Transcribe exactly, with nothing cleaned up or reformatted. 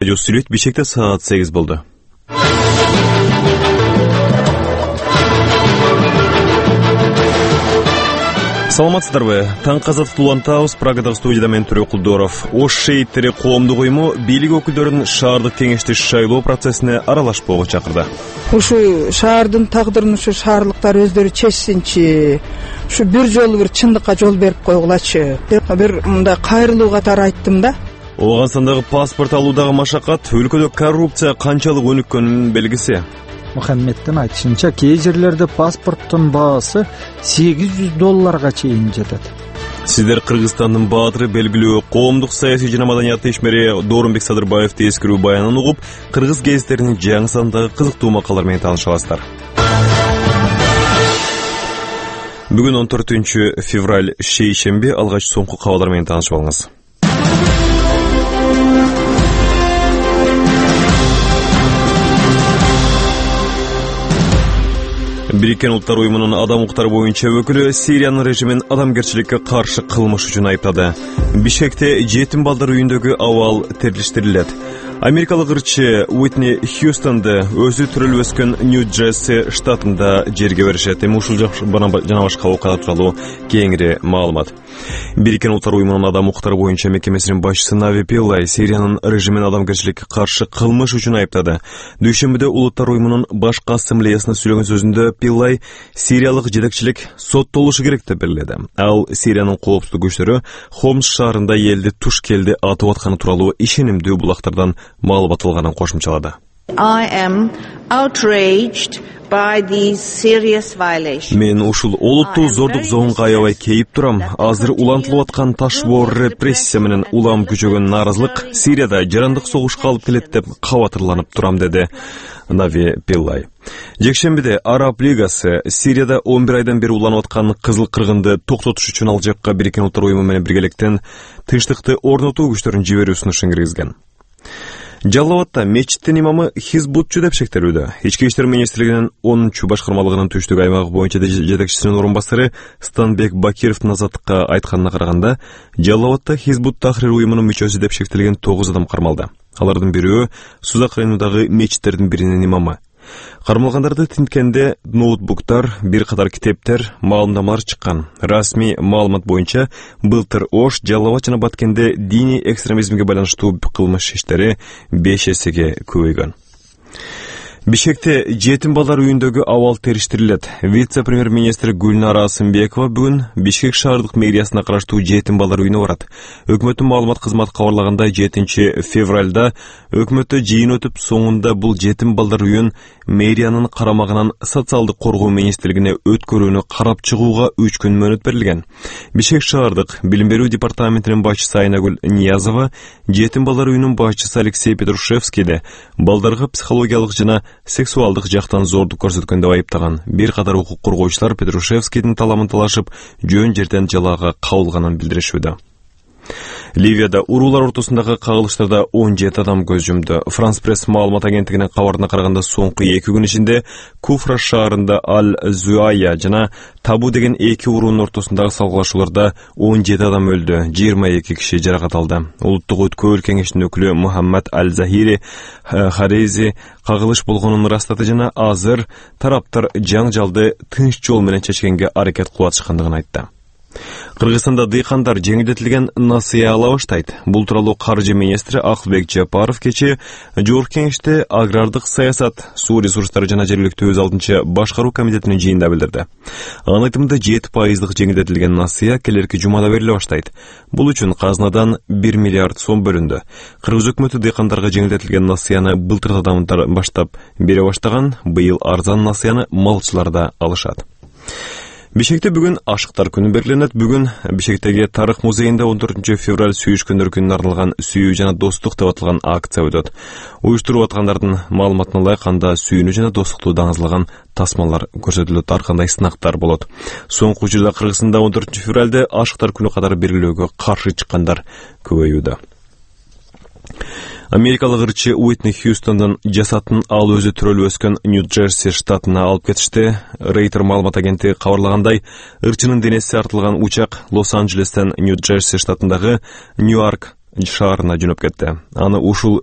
Сүйлөйт Бишкекте саат сегиз болду. Саламатсыздарбы? Таң казаттыкты улантабыз. Прагадагы студияда мен Түрөк Кулдоров. Ош шейиттери коомдук уюму бийлик өкүлдөрүн шаардык кеңешти шайлоо процессине аралашпоого чакырды. Ушу шаардын тагдырын ушу шаарлыктар өздөрү чечсинчи. Ушу бир жолу бир чындыкка жол берип койгулачы. Бир мындай кайрылуу катары айттым да. Улган сандагы паспорт алуудагы машакат өлкөдө коррупция канчалык өнүккөнүнүн белгиси. Мухаммеддин айтышынча, кээ жерлерде паспорттун баасы сегиз жүз долларга чейин жетет. Сиздер Кыргызстандын баатыры, белгилүү коомдук саясий жана маданият ишмери Доорунбек Садырбаевди эскерүү баянын угуп, кыргыз гезиттеринин жаңы сандагы кызыктуу макалалар менен тааныша аласыздар. Бүгүн он төртүнчү февраль шейшемби, алгач соңку кабарлар менен таанышып алыңыз. Бириккен Улуттар уюмунун адам укуктары боюнча өкүлү Сириянын режимин адамгерчиликке каршы кылмыш үчүн айыптады. Бишкекте жетим балдар үйүндөгү абал терилиштирилет. Америкалык ырчы Уитни Хьюстонду өзү төрөлүп өскөн Нью-Джерси штатында жерге беришет. Эми ушул жана башка окуялар тууралуу кеңири маалымат. Бириккен Улуттар уюмунун адам укуктары боюнча мекемесинин башчысы Нави Пиллай Сириянын режимин адамгерчиликке каршы кылмыш үчүн айыптады. Дүйшөмбүдө Улуттар уюмунун башкы ассамблеясына сүйлөгөн сөзүндө Пиллай Сириялык жетекчилик соттолушу керек деп белгиледи. Ал Сириянын коопсуздук күчтөрү Хомс шаарында элди туш келди атып атканы тууралуу ишенимдүү булактардан маалымат алганын кошумчалады. I am outraged by these serious violations. Мен ушул олуттуу зордук зоонго аябай кейип турам. Азыр улантылып аткан ташбоор репрессия менен улам күчөгөн нааразылык Сирияда жарандык согушка алып келет деп кабатырланып турам, деди Нави Пиллай. Жекшембиде Араб Лигасы Сирияда он бир айдан бери уланып аткан кызыл кыргынды токтотуш үчүн ал жакка Бириккен Улуттар уюму менен биргеликтен тынчтыкты орнотуу күчтөрүн жиберүү сунушун киргизген. Жалал Абадта мечиттин имамы хизбутчу деп шектелүүдө. Ички иштер министрлигинин онунчу башкармалыгынын түштүк аймагы боюнча жетекчисинин орун басары Станбек Бакировдун азаттыкка айтканына караганда, Жалал Абадта Хизбут Тахрир уюмунун мүчөсү деп шектелген тогуз адам кармалды. Алардын бирөө Сузак районундагы мечиттердин биринин имамы. Кармалгандарды тинткенде ноутбуктар, бир катар китептер, маалымдамалар чыккан. Расмий маалымат боюнча былтыр Ош, Жалал Абад жана Баткенде диний экстремизмге байланыштуу кылмыш иштери беш эсеге көбөйгөн. Бишкекте жетим балдар үйүндөгү абал териштирилет. Вице-премьер-министр Гүлнара Асымбекова бүгүн Бишкек шаардык мэриясына караштуу жетим балдар үйүнө барат. Өкмөттүн маалымат кызматы кабарлагандай, жетинчи февралда өкмөттө жыйын өтүп, соңунда бул жетим балдар үйүн мэриянын карамагынан социалдык коргоо министрлигине өткөрүүнү карап чыгууга үч күн мөөнөт берилген. Бишкек шаардык билим берүү департаментинин башчысы Айнагүл Ниязова, жетим балдар үйүнүн башчысы Алексей Петрушевскийде балдарга психологиялык жана сексуалдык жактан зордук көрсөткөн деп айыптаган. Бир катар укук коргоочулар Петрушевскийдин таламын талашып, жөн жерден жалаага кабылганын билдиришүүдө. Ливияда уруулар ортосундагы кагылыштарда он жети адам көз жумду. Франс пресс маалымат агенттигинин кабарына караганда, соңку эки күн ичинде Куфра шаарында Аль-Зуая жана Табу деген эки уруунун ортосундагы салгылашууларда он жети адам өлдү, жыйырма эки киши жаракат алды. Улуттук өткөл кеңештин өкүлү Мухаммад Аль-Захири Харези кагылыш болгонун ырастады жана азыр тараптар жаңжалды тынч жол менен чечкенге аракет кылып атышкандыгын айтты. Кыргызстанда дыйкандар жеңилдетилген насыя ала баштайт. Бул тууралуу каржы министри Акылбек Жапаров кечээ Жогорку кеңеште агрардык саясат, суу ресурстары жана жергиликтүү өз алдынча башкаруу комитетинин жыйынында билдирди. Анын айтымында жети пайыздык жеңилдетилген насыя келерки жумада бериле баштайт. Бул үчүн казынадан бир миллиард сом бөлүндү. Кыргыз өкмөтү дыйкандарга жеңилдетилген насыяны былтырдан баштап бере баштаган, быйыл арзан насыяны малчылар да алышат. Бишкекте бүгүн ашыктар күнү белгиленет. Бүгүн Бишкектеги Тарых музейинде он төртүнчү февраль сүйүшкөндөр күнүнө арналган сүйүү жана достук деп аталган акция өтөт. Уюштуруп аткандардын маалыматына ылайык, анда сүйүүнү жана достукту даңызлаган тасмалар көрсөтүлөт, ар кандай сынактар болот. Соңку жылда Кыргызстанда он төртүнчү февралде ашыктар күнү катары белгилөөгө каршы чыккандар көбөйүүдө. Америкалык ырчы Уитни Хьюстондун жасатын ал өзү төрөлүп өскөн Нью-Джерси штатына алып кетишти. Рейтер маалымат агенттиги кабарлагандай, ырчынын денеси артылган учак Лос-Анджелестен Нью-Джерси штатындагы Ньюарк шаарына жөнөп кетти. Аны ушул